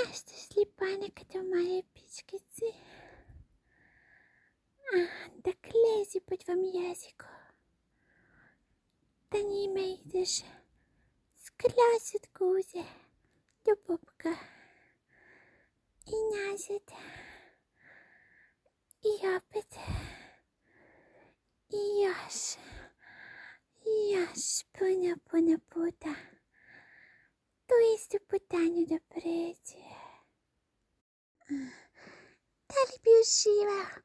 Щастлива като моя пичкици. Да клези по твоем языку. Да не имеешь склясит гузе до пупка. И назад. И опять. И яш, пута. То есть путанию до преди. Да любишива.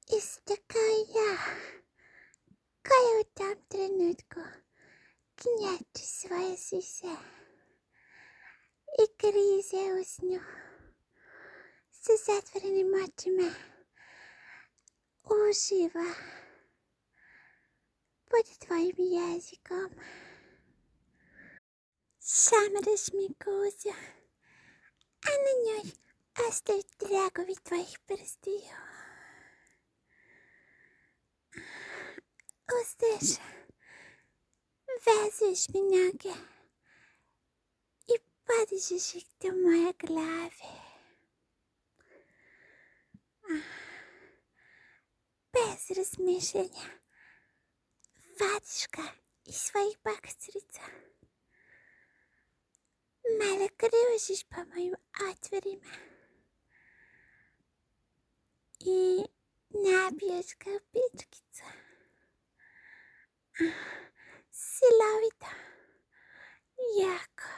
Истакая. Кая там тренутку. Княчи своя сися. И гризе усню. С затворенными очами. Ужива. Под твоим языком. Сам размикуся. А на ней оставить дрягу ведь твоих перстей. Устаешь, вязаешь меня и падаешь к моей голове. Без размышления, ватишка из своих бакстриц. Мало кружишь по моим отверям. И набьешь копичкицу. Силовито, яко.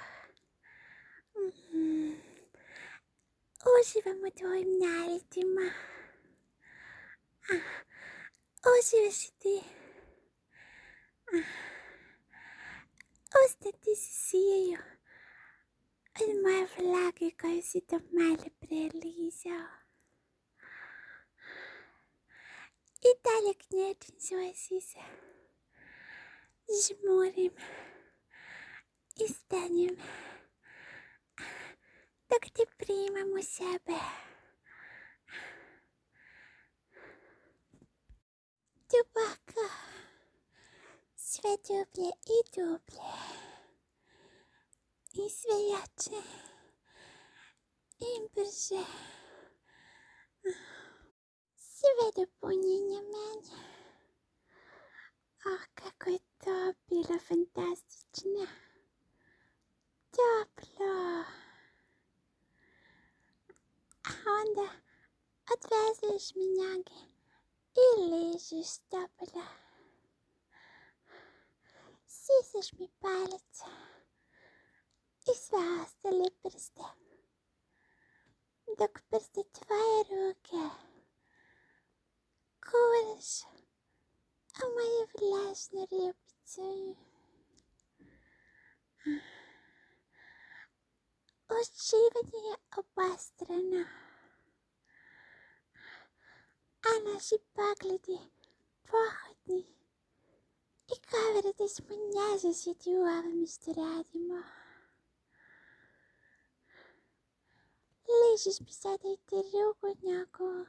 Уживamo твоим нарядима. Уживаш ти. Остати си сию. От моя влага, кой си до мале прелизал. И далек нежен си се. Жмурим. И станем. Так ти приймемо себе. Дубака. Sve dublje i dublje. I sve jače. I brže. Sve do punjenja mene. Kako je to bilo fantastično. Toplo. A onda odvezeš minjage i ležeš toplo. Sisaš mi palec i sve ostale prste. Dok prste tvoje ruke kuraš a moju vlažnu ljubicu. Uživanje je obostrano, a naši pogledi pohodni i govore da smo nezažiti u ovome što radimo. Ležiš mi sada i drugu nogu,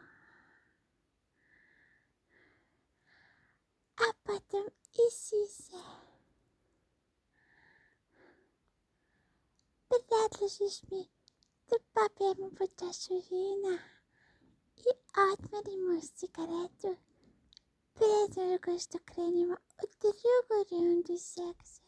a potom i sise. Predložiš mi da popijemo po čašu vina i odmerimo cigaretu pre nego što krenemo u drugu rundu seksa.